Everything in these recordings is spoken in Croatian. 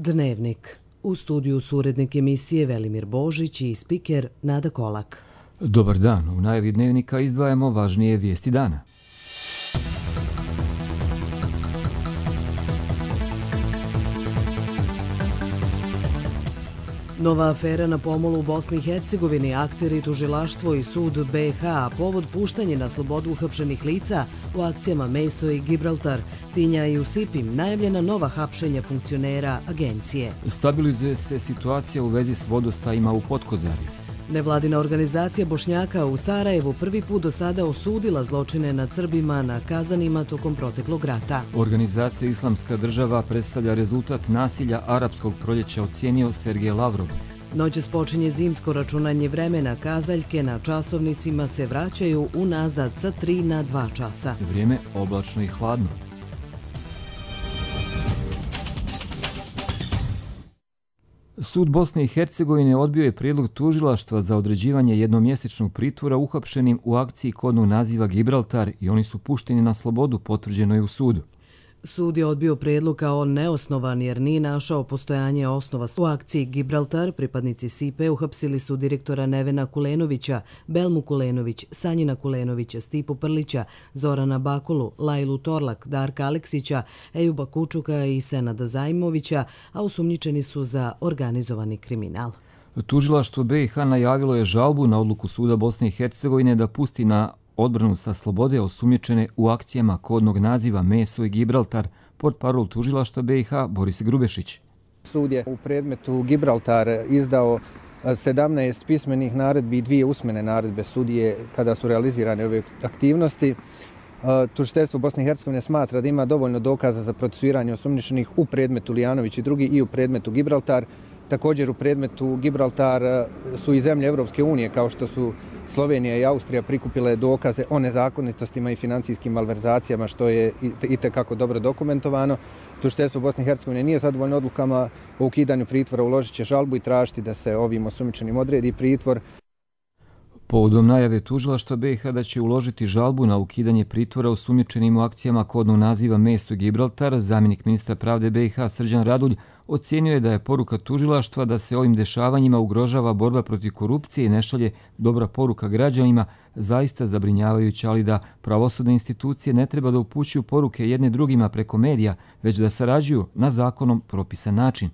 Dnevnik. U studiju su urednik emisije Velimir Božić i spiker Nada Kolak. Dobar dan. U najavi Dnevnika izdvajamo važnije vijesti dana. Nova afera na pomolu u Bosni i Hercegovini, akteri, tužilaštvo i sud BiH, povod puštanje na slobodu uhapšenih lica u akcijama Meso i Gibraltar, Tinja i Usipim, najavljena nova hapšenja funkcionera agencije. Stabilizuje se situacija u vezi s vodostajima u Potkozarju. Nevladina organizacija Bošnjaka u Sarajevu prvi put do sada osudila zločine nad Srbima na Kazanima tokom proteklog rata. Organizacija Islamska država predstavlja rezultat nasilja arapskog proljeća, ocijenio Sergej Lavrov. Noćas počinje zimsko računanje vremena, kazaljke na časovnicima se vraćaju unazad sa 3 na 2 časa. Vrijeme oblačno i hladno. Sud Bosne i Hercegovine odbio je prijedlog tužilaštva za određivanje jednomjesečnog pritvora uhapšenim u akciji kodnog naziva Gibraltar i oni su pušteni na slobodu, potvrđeno je u sudu. Sud je odbio prijedlog kao neosnovan jer nije našao postojanje osnova. U akciji Gibraltar pripadnici SIPE uhapsili su direktora Nevena Kulenovića, Belmu Kulenović, Sanjina Kulenovića, Stipu Prlića, Zorana Bakulu, Lajlu Torlak, Darka Aleksića, Ejuba Kučuka i Senada Zajmovića, a osumnjičeni su za organizovani kriminal. Tužilaštvo BiH najavilo je žalbu na odluku suda Bosne i Hercegovine da pusti na odbranu sa slobode osumnjičene u akcijama kodnog naziva Meso i Gibraltar, portparol tužilaštva BiH Boris Grubešić. Sud je u predmetu Gibraltar izdao 17 pismenih naredbi i 2 usmene naredbe sudije kada su realizirane ove aktivnosti. Tužiteljstvo Bosne i Hercegovine smatra da ima dovoljno dokaza za procesuiranje osumnjičenih u predmetu Lijanović i drugi i u predmetu Gibraltar. Također u predmetu Gibraltar su i zemlje Evropske unije kao što su Slovenija i Austrija prikupile dokaze o nezakonitostima i financijskim malverzacijama što je itekako dobro dokumentovano. Tužiteljstvo Bosne i Hercegovine nije zadovoljno odlukama o ukidanju pritvora, uložit će žalbu i tražiti da se ovim osumnjičenim odredi pritvor. Povodom najave tužilaštva BiH da će uložiti žalbu na ukidanje pritvora osumnjičenim u akcijama kodnog naziva Meso i Gibraltar, zamjenik ministra pravde BiH Srđan Radulj ocijenio je da je poruka tužilaštva da se ovim dešavanjima ugrožava borba protiv korupcije i ne šalje dobra poruka građanima zaista zabrinjavajuća, ali da pravosudne institucije ne treba da upućuju poruke jedne drugima preko medija, već da sarađuju na zakonom propisan način.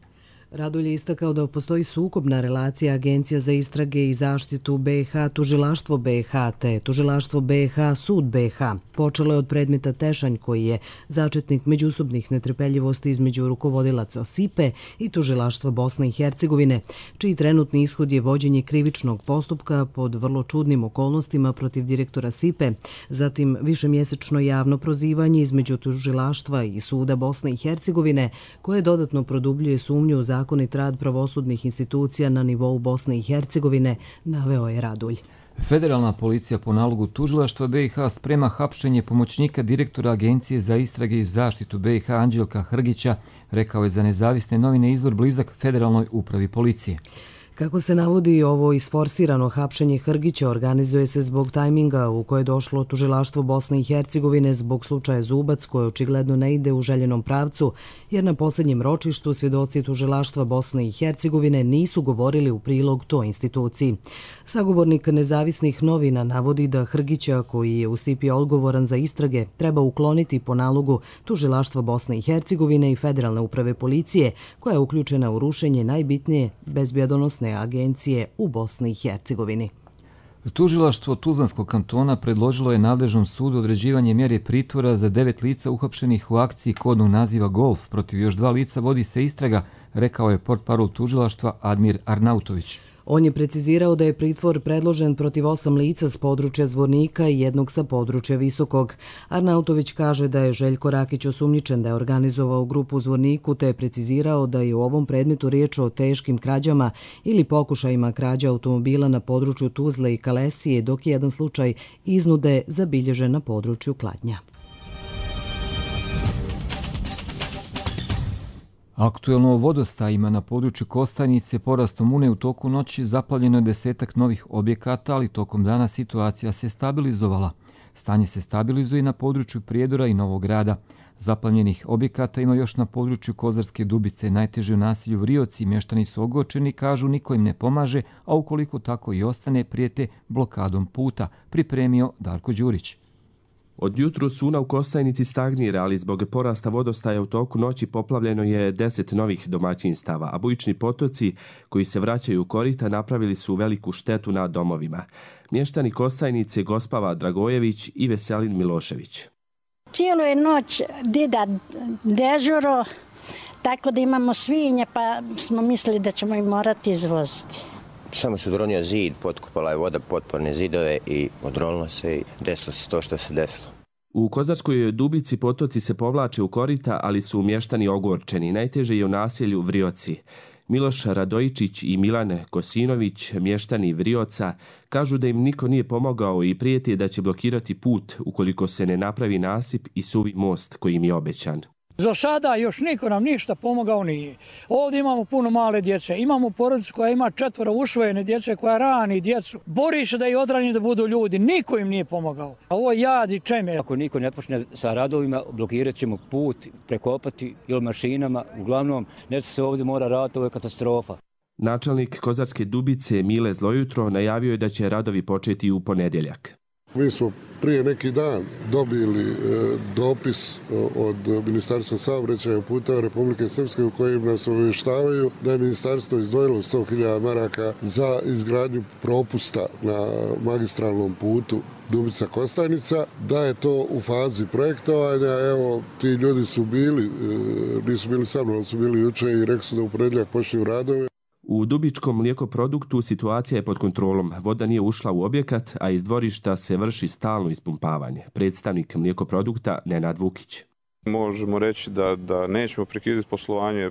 Radulj je istakao da postoji sukobna relacija Agencija za istrage i zaštitu BiH, Tužilaštvo BiH te Tužilaštvo BiH, Sud BiH. Počelo je od predmeta Tešanj koji je začetnik međusobnih netrpeljivosti između rukovodilaca SIPE i Tužilaštva Bosne i Hercegovine, čiji trenutni ishod je vođenje krivičnog postupka pod vrlo čudnim okolnostima protiv direktora SIPE, zatim višemjesečno javno prozivanje između Tužilaštva i Suda Bosne i Hercegovine koje dodatno produbljuje sumnju u zakonit rad pravosudnih institucija na nivou Bosne i Hercegovine, naveo je Radulj. Federalna policija po nalogu tužilaštva BiH sprema hapšenje pomoćnika direktora Agencije za istrage i zaštitu BiH Anđelka Hrgića, rekao je za nezavisne novine izvor blizak Federalnoj upravi policije. Kako se navodi, ovo isforsirano hapšenje Hrgića organizuje se zbog tajminga u koje je došlo tužilaštvo Bosne i Hercegovine zbog slučaja Zubac koje očigledno ne ide u željenom pravcu, jer na posljednjem ročištu svjedoci tužilaštva Bosne i Hercegovine nisu govorili u prilog toj instituciji. Sagovornik nezavisnih novina navodi da Hrgića, koji je u SIPI odgovoran za istrage, treba ukloniti po nalogu tužilaštva Bosne i Hercegovine i Federalne uprave policije, koja je uključena u rušenje najbitnije bezbjedonosne agencije u Bosni i Hercegovini. Tužilaštvo Tuzlanskog kantona predložilo je nadležnom sudu određivanje mjere pritvora za 9 lica uhapšenih u akciji kodnog naziva Golf. Protiv još 2 lica vodi se istraga, rekao je portparol tužilaštva Admir Arnautović. On je precizirao da je pritvor predložen protiv 8 lica s područja Zvornika i 1 sa područja Visokog. Arnautović kaže da je Željko Rakić osumnjičen da je organizovao grupu u Zvorniku te je precizirao da je u ovom predmetu riječ o teškim krađama ili pokušajima krađa automobila na području Tuzle i Kalesije, dok je jedan slučaj iznude zabilježen na području Kladnja. Aktuelno o vodostajima na području Kostajnice porastom Une u toku noći zaplavljeno je 10-ak novih objekata, ali tokom dana situacija se stabilizovala. Stanje se stabilizuje na području Prijedora i Novog Grada. Zaplavljenih objekata ima još na području Kozarske Dubice, najteže u naselju Vrioci. Mještani su ogorčeni, kažu niko im ne pomaže, a ukoliko tako i ostane, prijete blokadom puta, pripremio Darko Đurić. Od jutru suna u Kostajnici stagnira, ali zbog porasta vodostaja u toku noći poplavljeno je 10 novih domaćinstava, a bujični potoci koji se vraćaju u korita napravili su veliku štetu na domovima. Mještani Kostajnice Gospava Dragojević i Veselin Milošević. Cijelu je noć dida dežuro, tako da imamo svinje, pa smo mislili da ćemo ih morati izvoziti. Samo se odronio zid, potkopala je voda potporne zidove i odronilo se i desilo se to što se desilo. U Kozarskoj Dubici potoci se povlače u korita, ali su mještani ogorčeni. Najteže je u naselju Vrioci. Miloš Radojičić i Milane Kosinović, mještani Vrioca, kažu da im niko nije pomogao i prijeti da će blokirati put ukoliko se ne napravi nasip i suvi most koji im je obećan. Za sada još niko nam ništa pomogao nije. Ovdje imamo puno male djece, imamo porodicu koja ima 4 usvojene djece, koja rani djecu. Bori se da ih odrani da budu ljudi, niko im nije pomogao. Ovo je jad i čeme. Ako niko ne počne sa radovima, blokirat ćemo put, prekopati ili mašinama. Uglavnom, nešto se ovdje mora raditi, ovo je katastrofa. Načelnik Kozarske Dubice Mile Zlojutro najavio je da će radovi početi u ponedjeljak. Mi smo prije neki dan dobili dopis od Ministarstva saobraćaja puta Republike Srpske u kojim nas obavještavaju da je ministarstvo izdvojilo 100.000 maraka za izgradnju propusta na magistralnom putu Dubica Kostajnica, da je to u fazi projektovanja. Evo, ti ljudi su bili, nisu bili sa mnom, su bili juče i rekli su da u ponedjeljak počinju radovi. U Dubičkom mlijekoproduktu situacija je pod kontrolom. Voda nije ušla u objekat, a iz dvorišta se vrši stalno ispumpavanje. Predstavnik mlijekoprodukta Nenad Vukić. Možemo reći da nećemo prekidati poslovanje.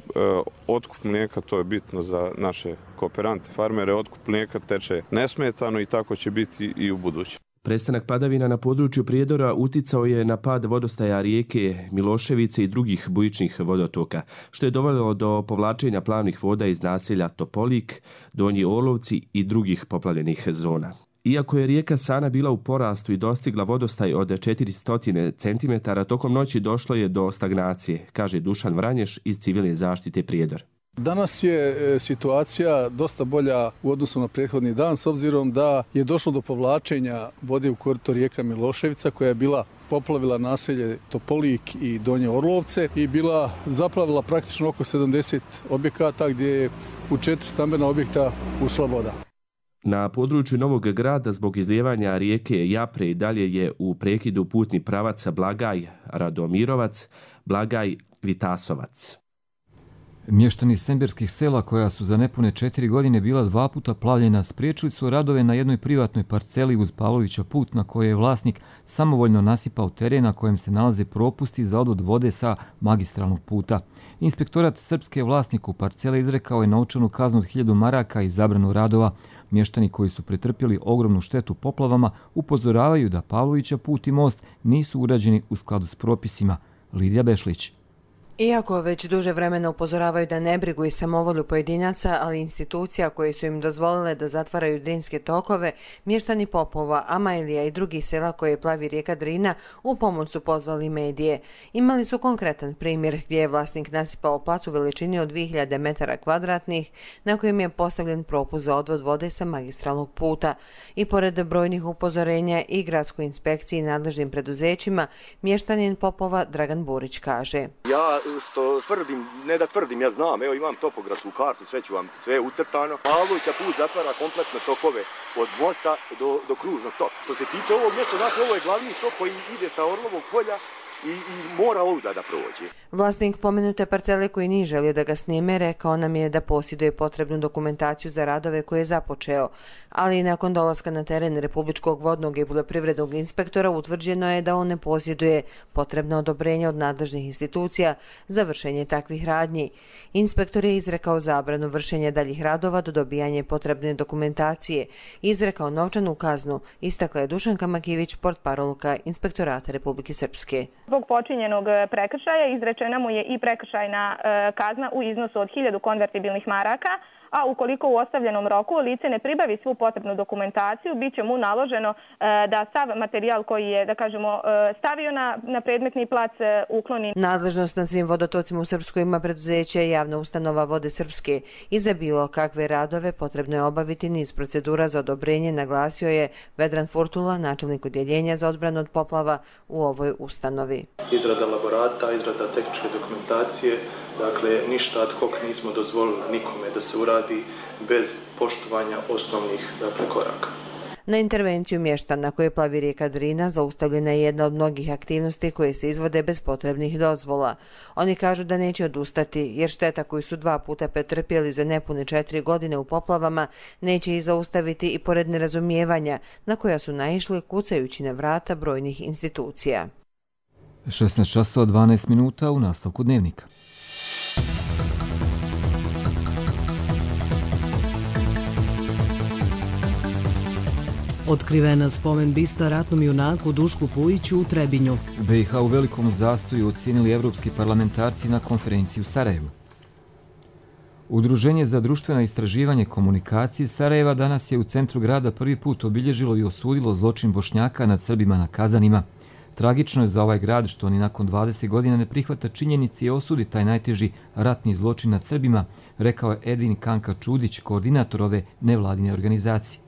Otkup mlijeka, to je bitno za naše kooperante, farmere. Otkup mlijeka teče nesmetano i tako će biti i u buduće. Prestanak padavina na području Prijedora uticao je na pad vodostaja rijeke Miloševice i drugih bujičnih vodotoka, što je dovelo do povlačenja plavnih voda iz naselja Topolik, Donji Orlovci i drugih poplavljenih zona. Iako je rijeka Sana bila u porastu i dostigla vodostaj od 400 cm, tokom noći došlo je do stagnacije, kaže Dušan Vranješ iz Civilne zaštite Prijedor. Danas je situacija dosta bolja u odnosu na prethodni dan, s obzirom da je došlo do povlačenja vode u korito rijeka Miloševica, koja je bila poplavila naselje Topolik i Donje Orlovce i bila zaplavila praktično oko 70 objekata gdje je u 4 stambena objekta ušla voda. Na području Novog Grada zbog izlijevanja rijeke Japre i dalje je u prekidu putni pravac Blagaj Radomirovac, Blagaj Vitasovac. Mještani semberskih sela koja su za nepune 4 godine bila 2 puta plavljena spriječili su radove na jednoj privatnoj parceli uz Pavlovića put na kojoj je vlasnik samovoljno nasipao teren na kojem se nalaze propusti za odvod vode sa magistralnog puta. Inspektorat srpske vlasniku parcele izrekao je novčanu kaznu od 1000 maraka i zabranu radova. Mještani koji su pretrpjeli ogromnu štetu poplavama upozoravaju da Pavlovića put i most nisu urađeni u skladu s propisima. Lidija Bešlić. Iako već duže vremena upozoravaju da ne brigu i samovolju pojedinaca, ali institucija koje su im dozvolile da zatvaraju drinske tokove, mještani Popova, Amajlija i drugih sela koje plavi rijeka Drina u pomoć su pozvali medije. Imali su konkretan primjer gdje je vlasnik nasipao plac u veličini od 2000 metara kvadratnih na kojem je postavljen propust za odvod vode sa magistralnog puta. I pored brojnih upozorenja i gradskoj inspekciji i nadležnim preduzećima, mještanin Popova Dragan Burić kaže: Ja što tvrdim, ne da tvrdim, ja znam, evo imam topografsku kartu, sve ću vam, sve je ucrtano. Pavlovića put zatvara kompletno tokove od mosta do kružnog toka. Što se tiče ovog mjesta, znači ovo je glavni tok koji ide sa Orlovog polja i mora ovdje da prođe. Vlasnik pomenute parcele koji nije želio da ga snime rekao nam je da posjeduje potrebnu dokumentaciju za radove koje je započeo, ali nakon dolaska na teren Republičkog vodnog i poljoprivrednog inspektora utvrđeno je da on ne posjeduje potrebno odobrenje od nadležnih institucija za vršenje takvih radnji. Inspektor je izrekao zabranu vršenja daljih radova do dobijanja potrebne dokumentacije, izrekao novčanu kaznu, istakla je Dušanka Makivić, portparolka Inspektorata Republike Srpske. Zbog počinjenog prekršaja izrečena mu je i prekršajna kazna u iznosu od 1000 konvertibilnih maraka, a ukoliko u ostavljenom roku lice ne pribavi svu potrebnu dokumentaciju, bit će mu naloženo da sav materijal koji je, da kažemo, stavio na predmetni plac ukloni. Nadležnost nad svim vodotocima u Srpskoj ima preduzeće javna ustanova Vode Srpske i za bilo kakve radove potrebno je obaviti niz procedura za odobrenje, naglasio je Vedran Furtula, načelnik odjeljenja za odbranu od poplava u ovoj ustanovi. Izrada elaborata, izrada tehničke dokumentacije, dakle ništa ad hoc nismo dozvolili nikome da se uradi bez poštovanja osnovnih koraka. Na intervenciju mještana koje plavi rijeka Drina zaustavljena je jedna od mnogih aktivnosti koje se izvode bez potrebnih dozvola. Oni kažu da neće odustati jer šteta koju su 2 puta pretrpjeli za nepune 4 godine u poplavama neće ih zaustaviti i pored nerazumijevanja na koja su naišli kucajući na vrata brojnih institucija. 16 časova 12 minuta u nastavku dnevnika. Otkrivena spomen bista ratnom junaku Dušku Pujiću u Trebinju. BiH u velikom zastoju ocijenili evropski parlamentarci na konferenciji u Sarajevu. Udruženje za društvena istraživanje komunikacije Sarajeva danas je u centru grada prvi put obilježilo i osudilo zločin Bošnjaka nad Srbima na Kazanima. Tragično je za ovaj grad što oni nakon 20 godina ne prihvata činjenici i osudi taj najteži ratni zločin nad Srbima, rekao je Edvin Kanka Čudić, koordinator ove nevladine organizacije.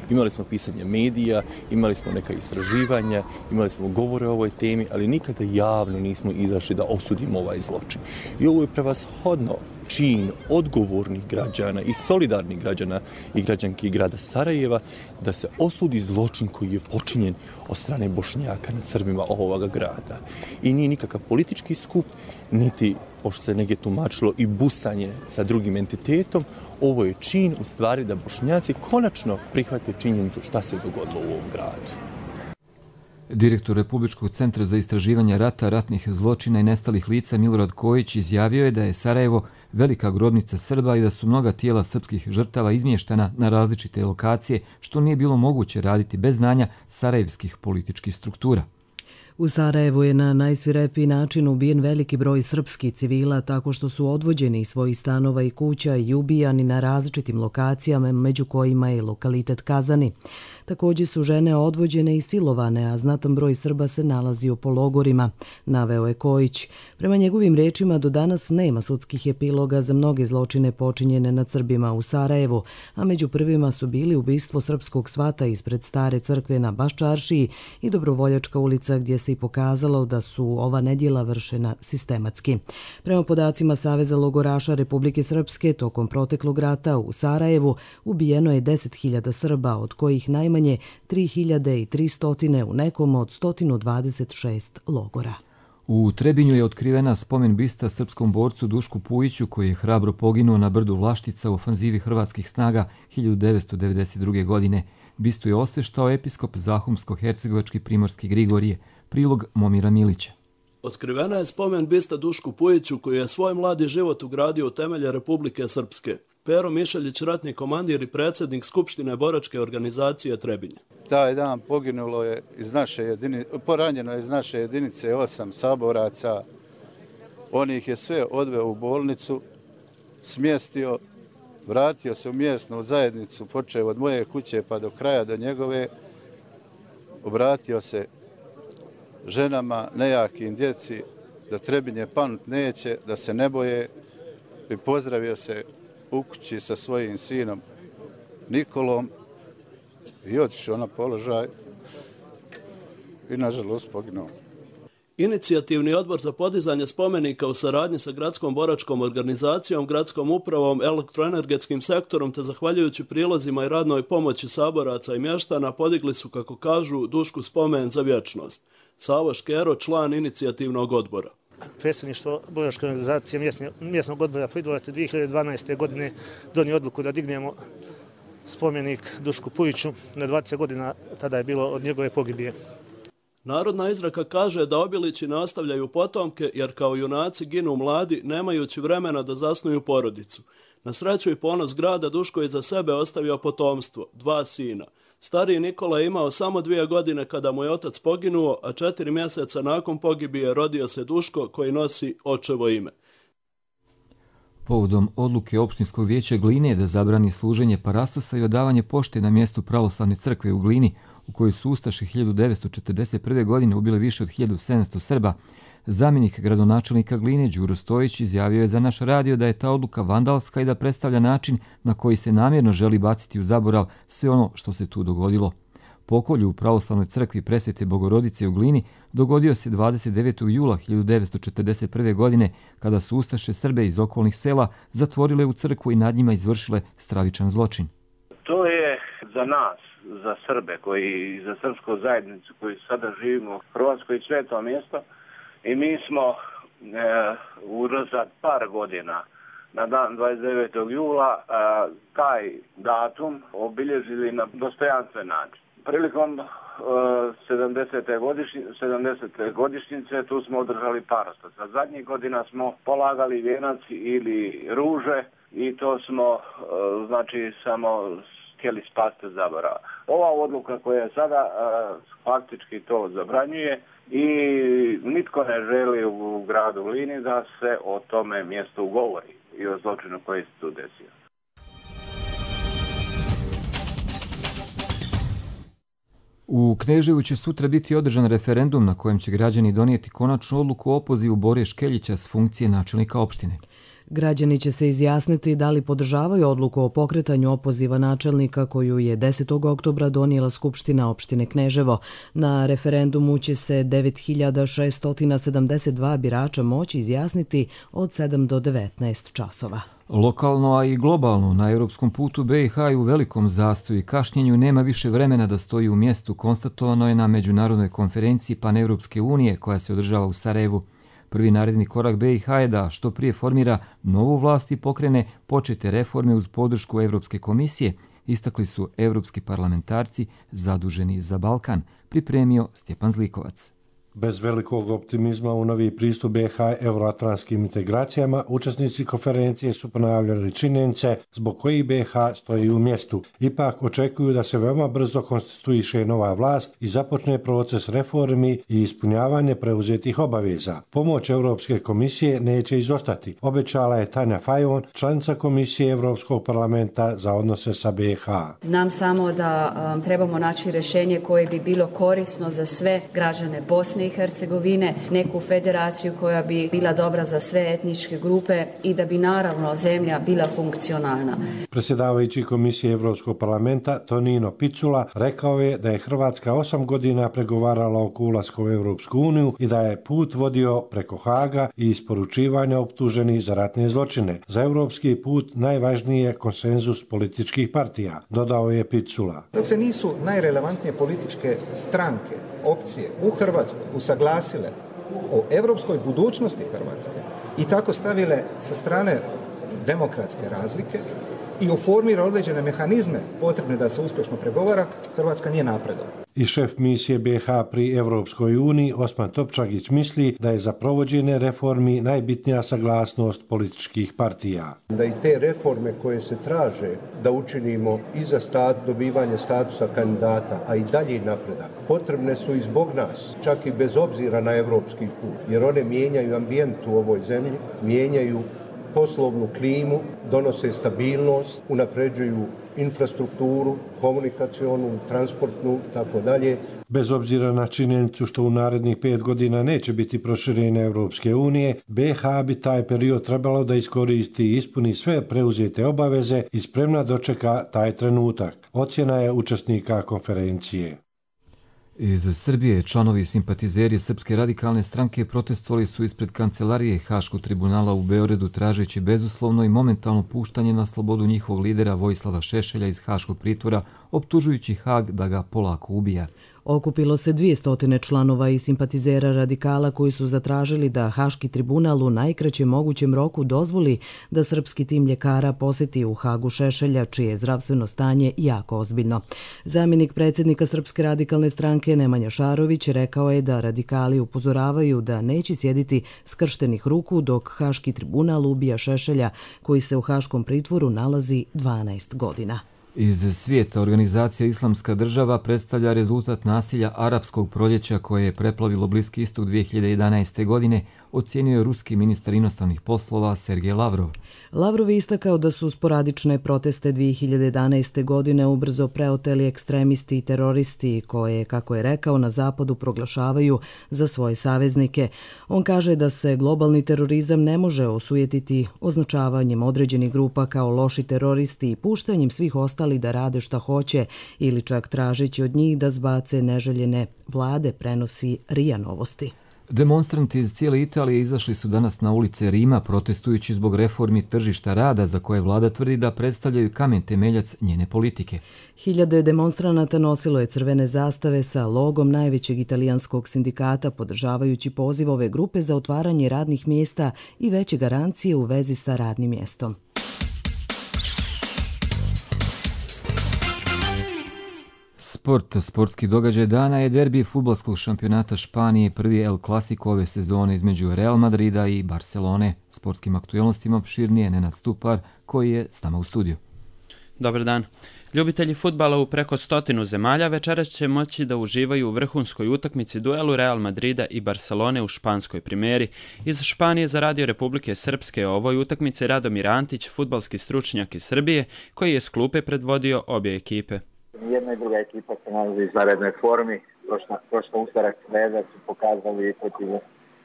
Imali smo pisanje medija, imali smo neka istraživanja, imali smo govore o ovoj temi, ali nikada javno nismo izašli da osudimo ovaj zločin. I ovo je prevashodno čin odgovornih građana i solidarnih građana i građanki grada Sarajeva da se osudi zločin koji je počinjen od strane Bošnjaka nad Srbima ovoga grada. I nije nikakav politički skup, niti, pošto se negdje tumačilo, i busanje sa drugim entitetom. Ovo je čin u stvari da Bošnjaci konačno prihvate činjenicu šta se dogodilo u ovom gradu. Direktor Republičkog centra za istraživanje rata, ratnih zločina i nestalih lica Milorad Kojić izjavio je da je Sarajevo velika grobnica Srba i da su mnoga tijela srpskih žrtava izmještana na različite lokacije, što nije bilo moguće raditi bez znanja sarajevskih političkih struktura. U Sarajevu je na najsvirepiji način ubijen veliki broj srpskih civila tako što su odvođeni iz svojih stanova i kuća i ubijani na različitim lokacijama, među kojima je lokalitet Kazani. Također su žene odvođene i silovane, a znatan broj Srba se nalazio po logorima, naveo je Kojić. Prema njegovim rečima do danas nema sudskih epiloga za mnoge zločine počinjene nad Srbima u Sarajevu, a među prvima su bili ubistvo srpskog svata ispred stare crkve na Baščaršiji i Dobrovoljačka ulica gdje se i pokazalo da su ova nedjela vršena sistematski. Prema podacima Saveza logoraša Republike Srpske, tokom proteklog rata u Sarajevu ubijeno je 10.000 Srba, od kojih najmanje 3.300 u nekom od 126 logora. U Trebinju je otkrivena spomen bista srpskom borcu Dušku Pujiću koji je hrabro poginuo na brdu Vlaštica u ofanzivi hrvatskih snaga 1992. godine. Bistu je osveštao episkop Zahumsko-hercegovački primorski Grigorije. Prilog Momira Milića. Otkrivena je spomen bista Dušku Pujiću koji je svoj mladi život ugradio u temelje Republike Srpske. Pero Mišeljić, ratni komandir i predsjednik Skupštine boračke organizacije Trebinje. Taj dan poginulo je poranjeno je iz naše jedinice 8 saboraca. On ih je sve odveo u bolnicu, smjestio, vratio se u mjesnu zajednicu, počeo od moje kuće pa do kraja do njegove, obratio se ženama, nejakim djeci, da Trebinje panut neće, da se ne boje, i pozdravio se u kući sa svojim sinom Nikolom i otišao na položaj i nažalost poginuo. Inicijativni odbor za podizanje spomenika u saradnji sa gradskom boračkom organizacijom, gradskom upravom, elektroenergetskim sektorom te zahvaljujući prilozima i radnoj pomoći saboraca i mještana podigli su, kako kažu, Dušku spomen za vječnost. Savo Škero, član inicijativnog odbora. Predsjedništvo boračke organizacije mjesnog odbora Pridvorac 2012. godine donio odluku da dignemo spomenik Dušku Pujiću na 20 godina, tada je bilo od njegove pogibije. Narodna izreka kaže da obilići nastavljaju potomke jer kao junaci ginu mladi nemajući vremena da zasnuju porodicu. Na sreću i ponos grada Duško je za sebe ostavio potomstvo, 2 sina. Stariji Nikola je imao samo 2 godine kada mu je otac poginuo, a 4 mjeseca nakon pogibije rodio se Duško koji nosi očevo ime. Povodom odluke opštinskog vijeća Gline da zabrani služenje parastosa i odavanje pošte na mjestu pravoslavne crkve u Glini, u kojoj su ustaše 1941. godine ubile više od 1700 Srba, zamjenik gradonačelnika Gline Đuro Stojić izjavio je za naš radio da je ta odluka vandalska i da predstavlja način na koji se namjerno želi baciti u zaborav sve ono što se tu dogodilo. Pokolj u pravoslavnoj crkvi Presvete Bogorodice u Glini dogodio se 29. jula 1941. godine kada su ustaše Srbe iz okolnih sela zatvorile u crkvu i nad njima izvršile stravičan zločin. To je za nas, za Srbe i za srpsku zajednicu koji sada živimo u Hrvatskoj sveto mjesto i mi smo unazad par godina na dan 29. jula taj datum obilježili na dostojanstven način. Prilikom 70. godišnjice tu smo održali parostas. A zadnjih godina smo polagali vijenac ili ruže i to smo samo htjeli spasti zaborava. Ova odluka koja je sada faktički to zabranjuje i nitko ne želi u gradu Glini da se o tome mjestu govori i o zločinu koji se tu desio. U Kneževu će sutra biti održan referendum na kojem će građani donijeti konačnu odluku o opozivu Bore Škeljića s funkcije načelnika opštine. Građani će se izjasniti da li podržavaju odluku o pokretanju opoziva načelnika koju je 10. oktobra donijela Skupština opštine Kneževo. Na referendumu će se 9672 birača moći izjasniti od 7 do 19 časova. Lokalno, a i globalno, na europskom putu BiH i u velikom zastoju i kašnjenju nema više vremena da stoji u mjestu, konstatovano je na međunarodnoj konferenciji Paneuropske unije koja se održava u Sarajevu. Prvi naredni korak BiH je da što prije formira novu vlast i pokrene počete reforme uz podršku Evropske komisije, istakli su evropski parlamentarci zaduženi za Balkan, pripremio Stjepan Zlikovac. Bez velikog optimizma u novi pristup BiH euroatlantskim integracijama, učesnici konferencije su ponavljali činjenice zbog kojih BiH stoji u mjestu. Ipak očekuju da se veoma brzo konstituiše nova vlast i započne proces reformi i ispunjavanje preuzetih obaveza. Pomoć Europske komisije neće izostati, obećala je Tanja Fajon, članica Komisije Europskog parlamenta za odnose sa BiH. Znam samo da trebamo naći rješenje koje bi bilo korisno za sve građane Bosne i Hercegovine, neku federaciju koja bi bila dobra za sve etničke grupe i da bi naravno zemlja bila funkcionalna. Predsjedavajući Komisije Evropskog parlamenta Tonino Picula rekao je da je Hrvatska 8 godina pregovarala oko ulaska u Evropsku uniju i da je put vodio preko Haga i isporučivanja optuženih za ratne zločine. Za evropski put najvažniji je konsenzus političkih partija, dodao je Picula. Dok se nisu najrelevantnije političke stranke, opcije u Hrvatskoj usaglasile o evropskoj budućnosti Hrvatske i tako stavile sa strane demokratske razlike i oformira određene mehanizme potrebne da se uspješno pregovara, Hrvatska nije napredovala. I šef misije BiH pri Evropskoj uniji Osman Topčagić misli da je za provođenje reformi najbitnija saglasnost političkih partija. Da i te reforme koje se traže da učinimo i za dobivanje statusa kandidata, a i dalji napredak, potrebne su i zbog nas, čak i bez obzira na evropski put, jer one mijenjaju ambijent u ovoj zemlji, mijenjaju poslovnu klimu, donose stabilnost, unapređuju infrastrukturu, komunikacionu, transportnu, tako dalje. Bez obzira na činjenicu što u narednih 5 godina neće biti proširenje Evropske unije, BiH bi taj period trebalo da iskoristi i ispuni sve preuzete obaveze i spremna dočeka taj trenutak. Ocjena je učesnika konferencije. Iz Srbije članovi i simpatizeri Srpske radikalne stranke protestovali su ispred kancelarije Haškog tribunala u Beogradu tražeći bezuslovno i momentalno puštanje na slobodu njihovog lidera Vojislava Šešelja iz haškog pritvora, optužujući Hag da ga polako ubija. Okupilo se 200 članova i simpatizera radikala koji su zatražili da Haški tribunal u najkraćem mogućem roku dozvoli da srpski tim ljekara posjeti u Hagu Šešelja, čije je zdravstveno stanje jako ozbiljno. Zamjenik predsjednika Srpske radikalne stranke Nemanja Šarović rekao je da radikali upozoravaju da neće sjediti skrštenih ruku dok Haški tribunal ubija Šešelja, koji se u haškom pritvoru nalazi 12 godina. Iz svijeta organizacija Islamska država predstavlja rezultat nasilja arapskog proljeća koje je preplavilo Bliski istok 2011. godine, ocijenio je ruski ministar inostranih poslova Sergej Lavrov. Lavrov je istakao da su sporadične proteste 2011. godine ubrzo preoteli ekstremisti i teroristi koje, kako je rekao, na zapadu proglašavaju za svoje saveznike. On kaže da se globalni terorizam ne može osujetiti označavanjem određenih grupa kao loši teroristi i puštanjem svih ostalih da rade šta hoće ili čak tražeći od njih da zbace neželjene vlade, prenosi RIA Novosti. Demonstranti iz cijele Italije izašli su danas na ulice Rima protestujući zbog reformi tržišta rada za koje vlada tvrdi da predstavljaju kamen temeljac njene politike. Hiljade demonstranata nosilo je crvene zastave sa logom najvećeg italijanskog sindikata podržavajući poziv ove grupe za otvaranje radnih mjesta i veće garancije u vezi sa radnim mjestom. Sportski događaj dana je derbi fudbalskog šampionata Španije, prvi El Clasico ove sezone između Real Madrida i Barcelone. Sportskim aktualnostima opširnije Nenad Stupar, koji je s nama u studiju. Dobar dan. Ljubitelji fudbala u preko 100 zemalja večeras će moći da uživaju u vrhunskoj utakmici duelu Real Madrida i Barcelone u španskoj primeri. Iz Španije za Radio Republike Srpske o ovoj utakmici Radomir Antić, fudbalski stručnjak iz Srbije, koji je s klupe predvodio obje ekipe. Jedna i druga ekipa se nalazi u izvanrednoj formi. Prošla utorak sreda su pokazali protiv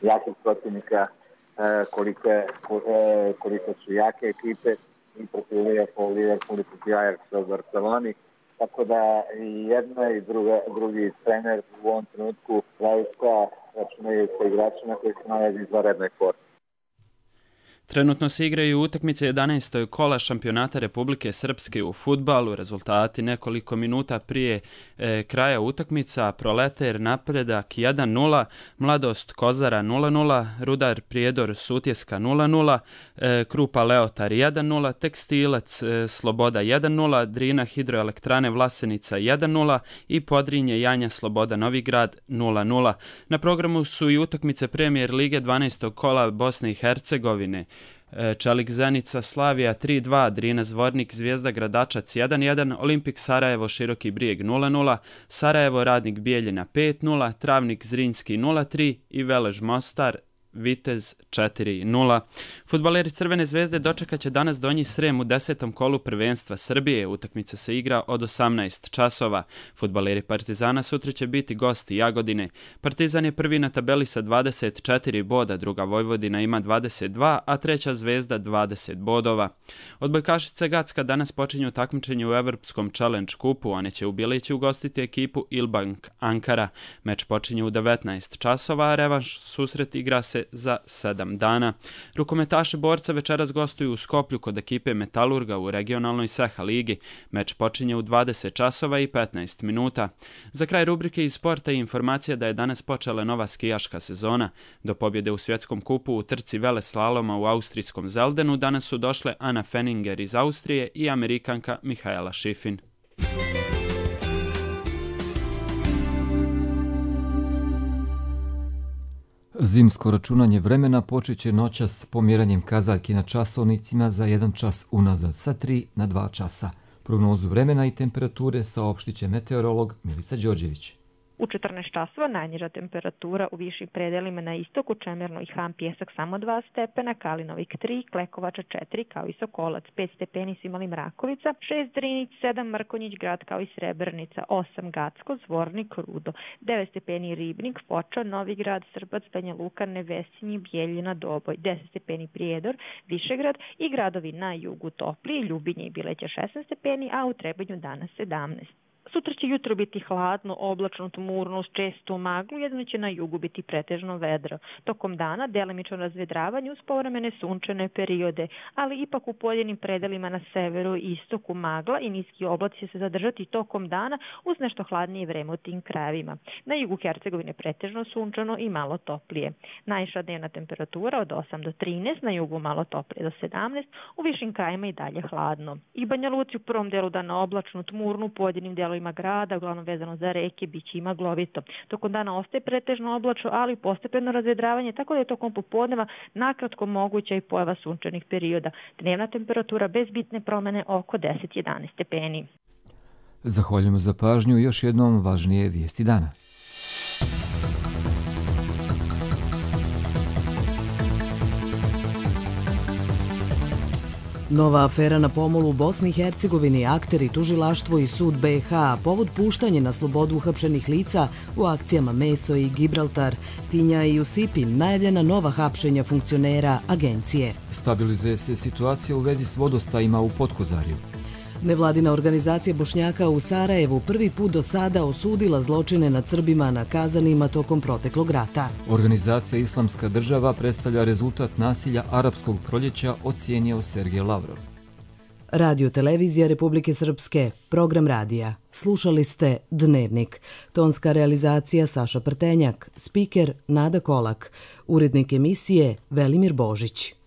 jakih protivnika koliko su jake ekipe i protiv Liverpool i protiv Ajaxa u Barceloni. Tako da i jedna i drugi trener u ovom trenutku zaista računaju sa igračima koji se nalazi u izvanrednoj formi. Trenutno se igraju utakmice 11. kola šampionata Republike Srpske u fudbalu. Rezultati nekoliko minuta prije kraja utakmica: Proleter Napredak 1-0, Mladost Kozara 0-0, Rudar Prijedor Sutjeska 0-0, Krupa Leotar 1-0, Tekstilac Sloboda 1-0, Drina Hidroelektrane Vlasenica 1-0 i Podrinje Janja Sloboda Novigrad 0-0. Na programu su i utakmice Premijer Lige 12. kola Bosne i Hercegovine. Čelik Zenica Slavija 3-2, Drina Zvornik Zvijezda Gradačac 1-1, Olimpik Sarajevo Široki Brijeg 0-0, Sarajevo Radnik Bijeljina 5-0, Travnik Zrinski 0-3 i Velež Mostar Vitez 4-0. Fudbaleri Crvene zvezde dočekat će danas Donji Srem u 10. kolu prvenstva Srbije. Utakmica se igra od 18 časova. Fudbaleri Partizana sutra će biti gosti Jagodine. Partizan je prvi na tabeli sa 24 boda, druga Vojvodina ima 22, a treća Zvezda 20 bodova. Odbojkašice Gacka danas počinju takmičenje u Evropskom Challenge kupu. One će u Bilići ugostiti ekipu Ilbank Ankara. Meč počinje u 19 časova, a revanš susret igra se za 7 dana. Rukometaši Borca večeras gostuju u Skoplju kod ekipe Metalurga u regionalnoj Seha ligi. Meč počinje u 20 časova i 15 minuta. Za kraj rubrike iz sporta i informacija da je danas počela nova skijaška sezona. Do pobjede u svjetskom kupu u trci veleslaloma u austrijskom Zeldenu danas su došle Anna Fenninger iz Austrije i Amerikanka Mihaela Schifrin. Zimsko računanje vremena počet će noćas pomjeranjem kazaljki na časovnicima za 1 čas unazad sa 3 na 2 časa. Prognozu vremena i temperature saopštit će meteorolog Milica Đorđević. U 14 časova najniža temperatura u višim predelima na istoku, Čemerno i Han Pjesak samo 2 stepena, Kalinovik 3, Klekovača 4, kao i Sokolac 5 stepeni su imali Mrakovica, 6 Drinić, 7 Mrkonjić grad kao i Srebrnica, 8 Gacko, Zvornik, Rudo, 9 stepeni Ribnik, Foča, Novi grad, Srbac, Banja Luka, Nevesinji, Bijeljina, Doboj, 10 stepeni Prijedor, Višegrad i gradovi na jugu Toplije, Ljubinje i Bileća 16 stepeni, a u Trebanju danas 17. Sutra će jutro biti hladno, oblačno, tmurno, uz čestu maglu, jedino će na jugu biti pretežno vedro. Tokom dana delimično razvedravanje uz povremene sunčane periode, ali ipak u pojedinim predelima na severu i istoku magla i niski oblaci će se zadržati tokom dana uz nešto hladnije vreme u tim krajevima. Na jugu Hercegovine pretežno sunčano i malo toplije. Najviša dnevna temperatura od 8 do 13, na jugu malo toplije do 17, u višim krajima i dalje hladno. I Banja Luci u prvom delu dana oblačno, tmurno, u pojedinim delovima grada, uglavnom vezano za reke, biće ima glovito. Tokom dana ostaje pretežno oblačno, ali postepeno razvedravanje, tako da je tokom popodneva nakratko moguća i pojava sunčanih perioda. Dnevna temperatura bez bitne promene oko 10-11 stepeni. Zahvaljujemo za pažnju i još jednom važnije vijesti dana. Nova afera na pomolu u Bosni i Hercegovini, akteri, tužilaštvo i sud BiH, povod puštanje na slobodu uhapšenih lica u akcijama Meso i Gibraltar, Tinja i Usipi, najavljena nova hapšenja funkcionera agencije. Stabilizuje se situacija u vezi s vodostajima u Potkozarju. Nevladina organizacija Bošnjaka u Sarajevu prvi put do sada osudila zločine nad Srbima na Kazanima tokom proteklog rata. Organizacija Islamska država predstavlja rezultat nasilja arapskog proljeća, ocijenio Sergej Lavrov. Radio Televizija Republike Srpske, program radija. Slušali ste Dnevnik. Tonska realizacija Saša Prtenjak, spiker Nada Kolak, urednik emisije Velimir Božić.